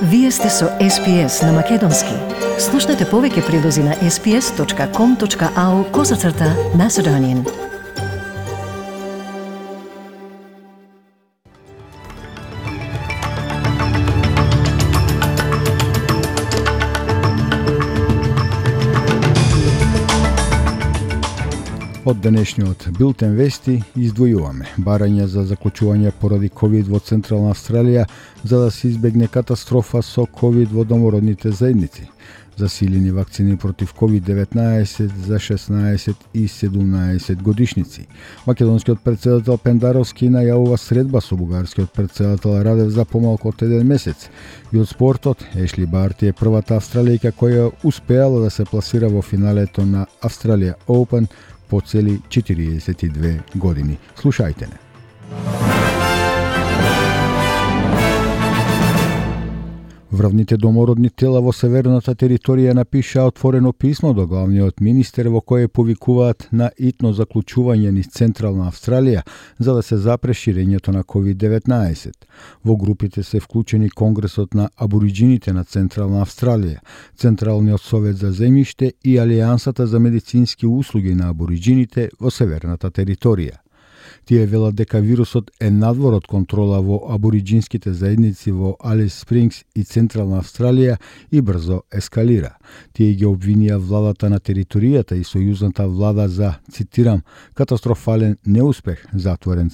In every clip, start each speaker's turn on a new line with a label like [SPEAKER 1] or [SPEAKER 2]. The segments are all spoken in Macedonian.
[SPEAKER 1] Вие сте со SPS на Македонски. Слушнете повеќе прилози на sps.com.au/Macedonian.
[SPEAKER 2] Од денешниот билтен вести издвојуваме барања за заклучување поради COVID во Централна Австралија за да се избегне катастрофа со COVID во домородните заедници, засилени вакцини против COVID-19 за 16 и 17 годишници. Македонскиот претседател Пендаровски најавува средба со бугарскиот претседател Радев за помалку од еден месец. И од спортот, Ешли Барти е првата австралијка која успеала да се пласира во финалето на Australia Open по цели 42 години. Слушајте не. Врвните домородни тела во северната територија напиша отворено писмо до главниот министер во кое повикуваат на итно заклучување низ Централна Австралија за да се запре ширењето на COVID-19. Во групите се вклучени Конгресот на абориџините на Централна Австралија, Централниот совет за земјиште и Алијансата за медицински услуги на абориџините во северната територија. Тие велат дека вирусот е надвор од контрола во абориџинските заедници во Алис Спрингс и Централна Австралија и брзо ескалира. Тие ги обвинија владата на територијата и сојузната влада за, цитирам, катастрофален неуспех, затворен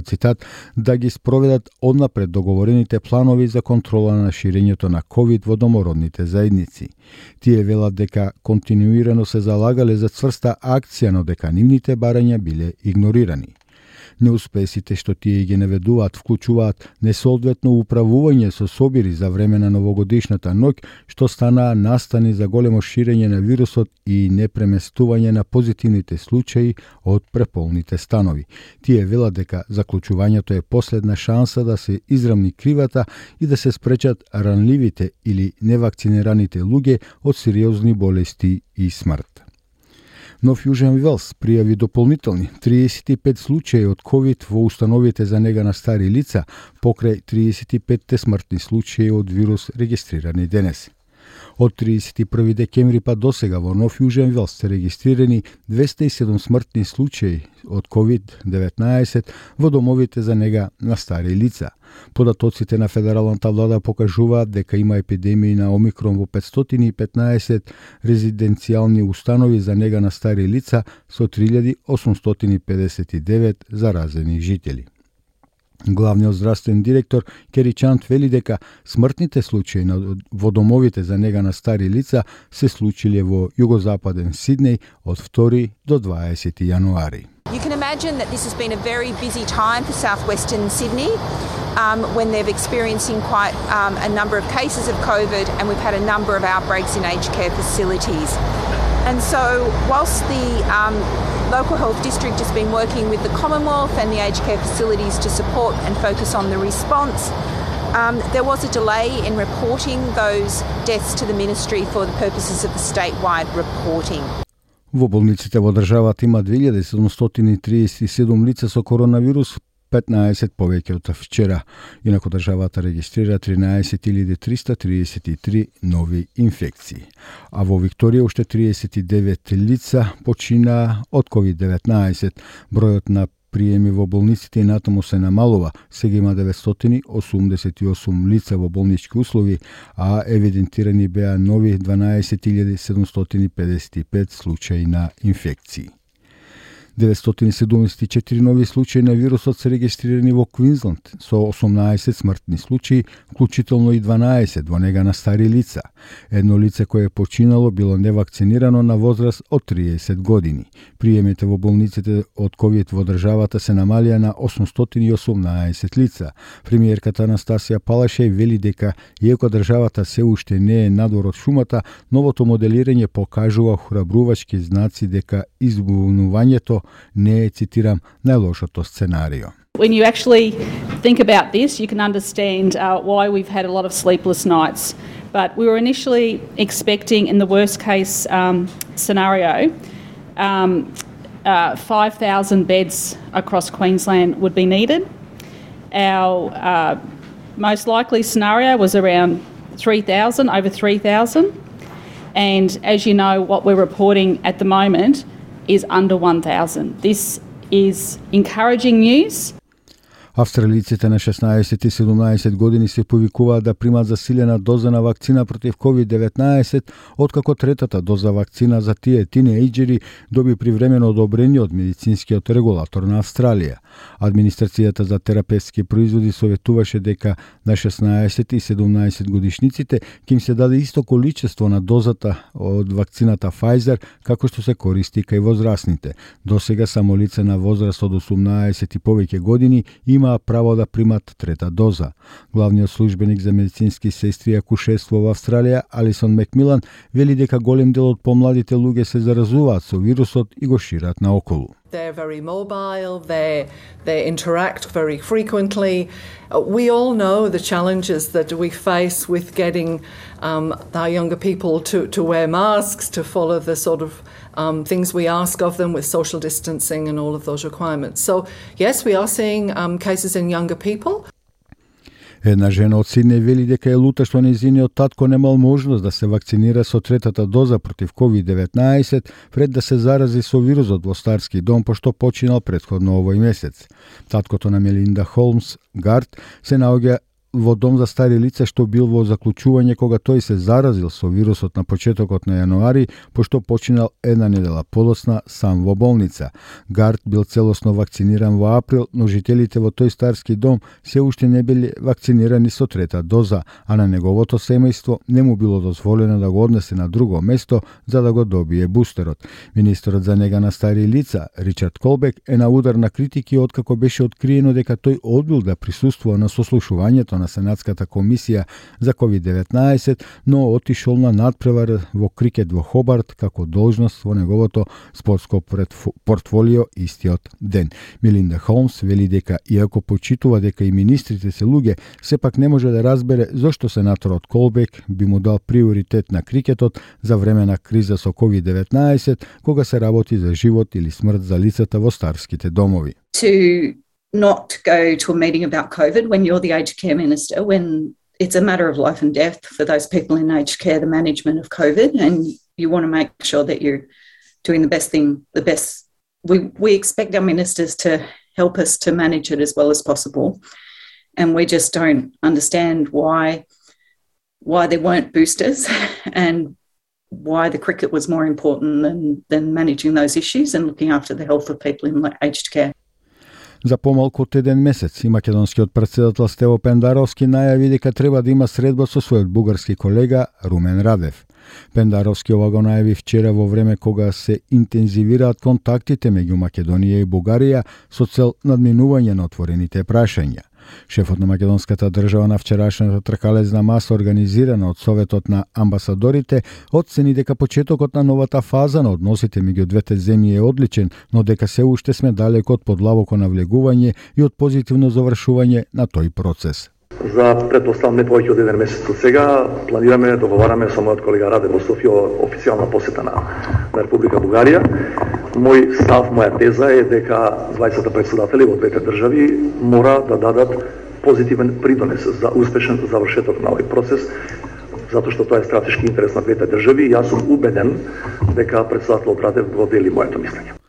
[SPEAKER 2] цитат, да ги спроведат однапред договорените планови за контрола на ширењето на COVID во домородните заедници. Тие велат дека континуирано се залагале за цврста акција, но дека нивните барања биле игнорирани. Неуспесите што тие ги наведуваат вклучуваат несоодветно управување со собири за време на новогодишната ноќ, што станаа настани за големо ширење на вирусот и непреместување на позитивните случаи од преполните станови. Тие велат дека заклучувањето е последна шанса да се израмни кривата и да се спречат ранливите или невакцинираните луѓе од сериозни болести и смрт. Нов Јужен Велс пријави дополнителни 35 случаи од COVID во установите за нега на стари лица, покрај 35 смртни случаи од вирус регистрирани денес. Од 31 декември па досега во Нов Јужен Велс се регистрирани 207 смртни случаи од COVID-19 во домовите за нега на стари лица. Податоците на федералната влада покажуваат дека има епидемија на Омикрон во 515 резиденцијални установи за нега на стари лица со 3859 заразени жители. Главниот здравствен директор Кери Чант вели дека смртните случаи во домовите за нега на стари лица се случиле во југозападен Сиднеј од 2 до 20 јануари.
[SPEAKER 3] You can imagine that this has been a very busy time for southwestern Sydney when they're experiencing quite a number of cases of COVID, and we've had a number of outbreaks in aged care facilities. And so whilst the local health district has been working with the Commonwealth and the aged care facilities to support and focus on the response, there was a delay in reporting those deaths to the ministry for the purposes of the statewide reporting.
[SPEAKER 2] Во болниците во државата има 2737 лица со коронавирус, 15 повеќе од вчера. Инаку државата регистрира 13333 нови инфекции. А во Викторија уште 39 лица починаа од COVID-19. Бројот на приеми во болниците и натаму се намалува. Сега има 988 лица во болнички услови, а евидентирани беа нови 12755 случаи на инфекции. 974 нови случаи на вирусот се регистрирани во Квинсленд со 18 смртни случаи, вклучително и 12 во нега на стари лица. Едно лице кое е починало било невакцинирано на возраст од 30 години. Приемите во болниците од COVID во државата се намалија на 818 лица. Премиерката Анастасија Палашеј вели дека иако државата се уште не е надвор од шумата, новото моделирање покажува храбрувачки знаци дека избунувањето не е, цитирам, најлошото сценарио.
[SPEAKER 4] When you actually think about this, you can understand why we've had a lot of sleepless nights. But we were initially expecting, in the worst case scenario, 5,000 beds across Queensland would be needed. Our most likely scenario was around 3,000, over 3,000. And as you know, what we're reporting at the moment is under 1,000. This is encouraging news.
[SPEAKER 2] Австралиците на 16 и 17 години се повикуваат да примат засилена доза на вакцина против COVID-19, откако третата доза вакцина за тие тинејџери доби привремено одобрение од медицинскиот регулатор на Австралија. Администрацијата за терапевтски производи советуваше дека на 16 и 17 годишниците ќе им се даде исто количество на дозата од вакцината Pfizer како што се користи кај возрастните. Досега само лица на возраст од 18 и повеќе години имаа право да примат трета доза. Главниот службеник за медицински сестри и акушерство во Австралија, Алисон Макмилан, вели дека голем дел од помладите луѓе се заразуваат со вирусот и го шират наоколу.
[SPEAKER 5] They're very mobile, they interact very frequently. We all know the challenges that we face with getting our younger people to wear masks, to follow the sort of things we ask of them with social distancing and all of those requirements. So, yes, we are seeing cases in younger people.
[SPEAKER 2] Една жена од Сиднеј вели дека е лута што нејзиниот татко немал можност да се вакцинира со третата доза против COVID-19 пред да се зарази со вирусот во старски дом, пошто починал претходно овој месец. Таткото на Мелинда Холмс, Гарт, се наоѓа во дом за стари лица што бил во заклучување кога тој се заразил со вирусот на почетокот на јануари, пошто починал една недела подоцна сам во болница. Гарт бил целосно вакциниран во април, но жителите во тој старски дом се уште не биле вакцинирани со трета доза, а на неговото семејство не му било дозволено да го однесе на друго место за да го добие бустерот. Министерот за нега на стари лица, Ричард Колбек, е на удар на критики откако беше откриено дека тој одбил да присуствува на сослушувањето на Сенатската комисија за COVID-19, но отишол на надпревар во крикет во Хобарт како должност во неговото спортско портфолио истиот ден. Мелинда Холмс вели дека иако почитува дека и министрите се луѓе, сепак не може да разбере зошто сенаторот Колбек би му дал приоритет на крикетот за време на криза со COVID-19, кога се работи за живот или смрт за лицата во старските домови.
[SPEAKER 6] Not go to a meeting about COVID when you're the aged care minister, when it's a matter of life and death for those people in aged care, the management of COVID, and you want to make sure that you're doing the best thing, the best. We expect our ministers to help us to manage it as well as possible, and we just don't understand why there weren't boosters and why the cricket was more important than managing those issues and looking after the health of people in aged care.
[SPEAKER 2] За помалку од еден месец и македонскиот претседател Стево Пендаровски најави дека треба да има средба со својот бугарски колега Румен Радев. Пендаровски ова го најави вчера во време кога се интензивираат контактите меѓу Македонија и Бугарија со цел надминување на отворените прашања. Шефот на македонската држава на вчерашната тркалезна маса организирана од Советот на амбасадорите оцени дека почетокот на новата фаза на односите меѓу двете земји е одличен, но дека се уште сме далеко од подлабоко навлегување и од позитивно завршување на тој процес.
[SPEAKER 7] За претпоставам не повеќе од еден месец од сега планираме, договараме со мојот колега Раде во Софија официјална посета на Република Бугарија. Мој став, моја теза е дека двајцата претседатели во двете држави мора да дадат позитивен придонес за успешен завршеток на овој процес, затоа што тоа е стратешки интерес на двете држави и јас сум убеден дека претседателот Радев го дели моето мислење.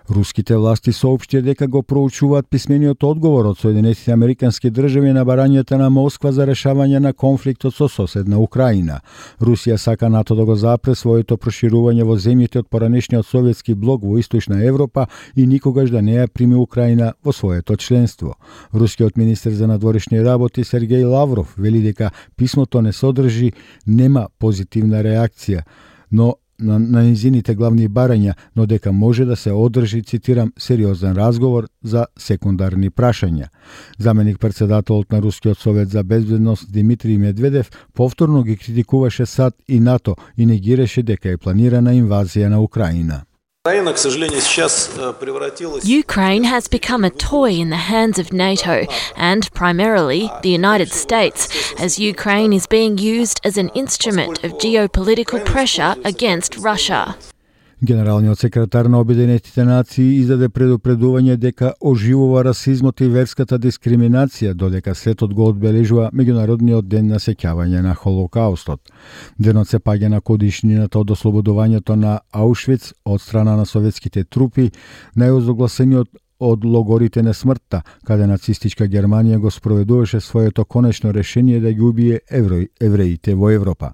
[SPEAKER 2] Руските власти соопштија дека го проучуваат писмениот одговор од Соединетите Американски држави на барањата на Москва за решавање на конфликтот со соседна Украина. Русија сака НАТО да го запре своето проширување во земјите од поранешниот советски блок во Источна Европа и никогаш да не ја прими Украина во своето членство. Рускиот министер за надворешни работи Сергеј Лавров вели дека писмото не содржи нема позитивна реакција, но на низините главни барања, но дека може да се одржи, цитирам, сериозен разговор за секундарни прашања. Заменик председателот на Рускиот совет за безбедност Димитри Медведев повторно ги критикуваше САД и НАТО и негираше дека е планирана инвазија на Украина.
[SPEAKER 8] Ukraine has become a toy in the hands of NATO and primarily the United States, as Ukraine is being used as an instrument of geopolitical pressure against Russia.
[SPEAKER 2] Генералниот секретар на Обединетите нации издаде предупредување дека оживува расизмот и верската дискриминација, додека светот го одбележува меѓународниот ден на сеќавање на Холокаустот. Денот се паѓа на годишнината од ослободувањето на Аушвиц од страна на советските трупи, најозогласениот од логорите на смртта, каде нацистичка Германија го спроведуваше своето конечно решение да ги убие евреите во Европа.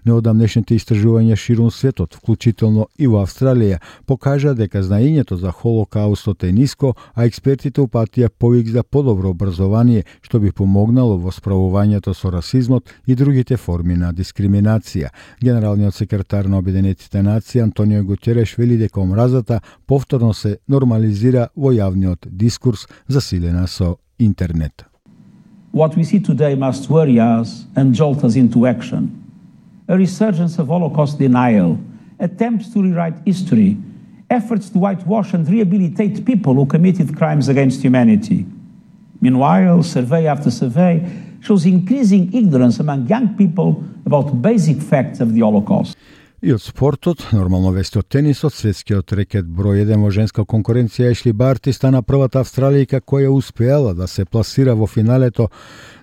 [SPEAKER 2] Неодамнешните истражувања ширум светот, вклучително и во Австралија, покажа дека знаењето за Холокаустот е ниско, а експертите упатија повик за подобро образование, што би помогнало во справувањето со расизмот и другите форми на дискриминација. Генералниот секретар на Обединетите нации Антонио Гутереш вели дека омразата повторно се нормализира во јавниот дискурс, засилена со интернет.
[SPEAKER 9] What we see today must worry us and jolt us into action. A resurgence of Holocaust denial, attempts to rewrite history, efforts to whitewash and rehabilitate people who committed crimes against humanity. Meanwhile, survey after survey shows increasing ignorance among young people about basic facts of the Holocaust.
[SPEAKER 2] И од спортот, нормално вести од тенисот, светскиот рекет број 1 во женска конкуренција Ешли Барти стана првата австралијка која успеала да се пласира во финалето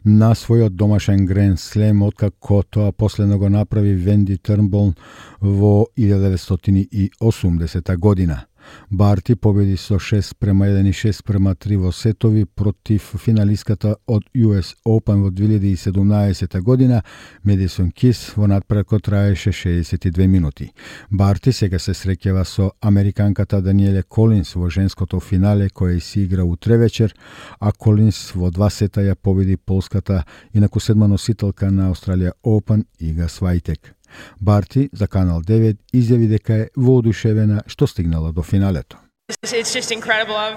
[SPEAKER 2] на својот домашен Гранд Слем, откако тоа последно го направи Венди Трнбол во 1980 година. Барти победи со 6-1 и 6-3 во сетови против финалистката од US Open во 2017 година, Медисон Кис, во надпревар кој траеше 62 минути. Барти сега се среќава со американката Даниеле Колинс во женското финале кој се игра утре вечер, а Колинс во 2 сета ја победи полската инаку седма носителка на Australia Open Ига Свајтек. Барти за Канал 9 изјави дека е воодушевена што стигнала до финалето.
[SPEAKER 10] It's just incredible. I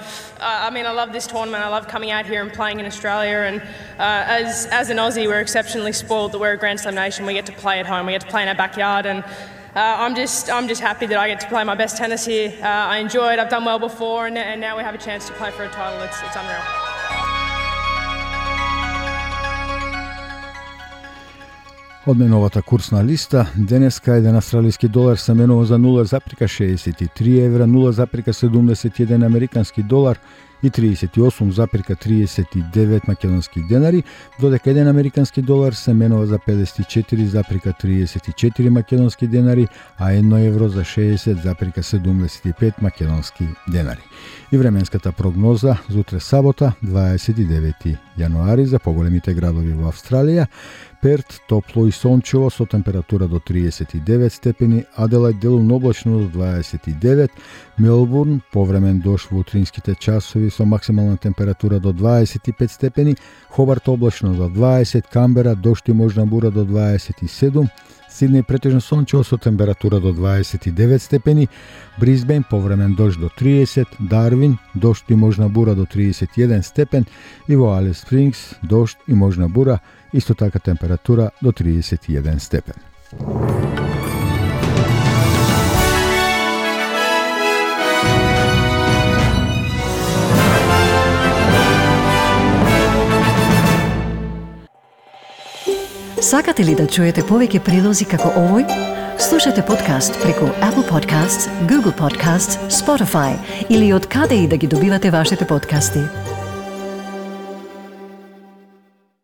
[SPEAKER 10] love this tournament. I love coming out here and playing in Australia. And as an Aussie, we're exceptionally spoiled that we're a Grand Slam nation. We get to play at home. We get to play in our backyard. And I'm just happy that I get to play my best tennis here. I enjoy it. I've done well before, and now we have a chance to play for a title. It's unreal.
[SPEAKER 2] Од најновата курсна листа, денеска еден австралиски долар се менува за 0,63 евра, 0,71 американски долар и 38,39 македонски денари, додека еден американски долар се менува за 54,34 македонски денари, а 1 евро за 60,75 македонски денари. И временската прогноза за утре сабота, 29 јануари, за поголемите градови во Австралија: Перт топло и сончево со температура до 39 степени, Аделајд делумно облачно до 29, Мелбурн повремен дожд во утринските часови со максимална температура до 25 степени, Хобарт облачно до 20, Камбера дожд и можна бура до 27, Сиднеј претежно сончево со температура до 29 степени, Брисбен повремен дожд до 30, Дарвин дожд и можна бура до 31 степен и во Алис Спрингс дожд и можна бура, исто така температура до 31 степен.
[SPEAKER 1] Сакате ли да чуете повеќе прилози како овој? Слушате подкаст преку Apple Podcasts, Google Podcasts, Spotify или од каде и да ги добивате вашите подкасти.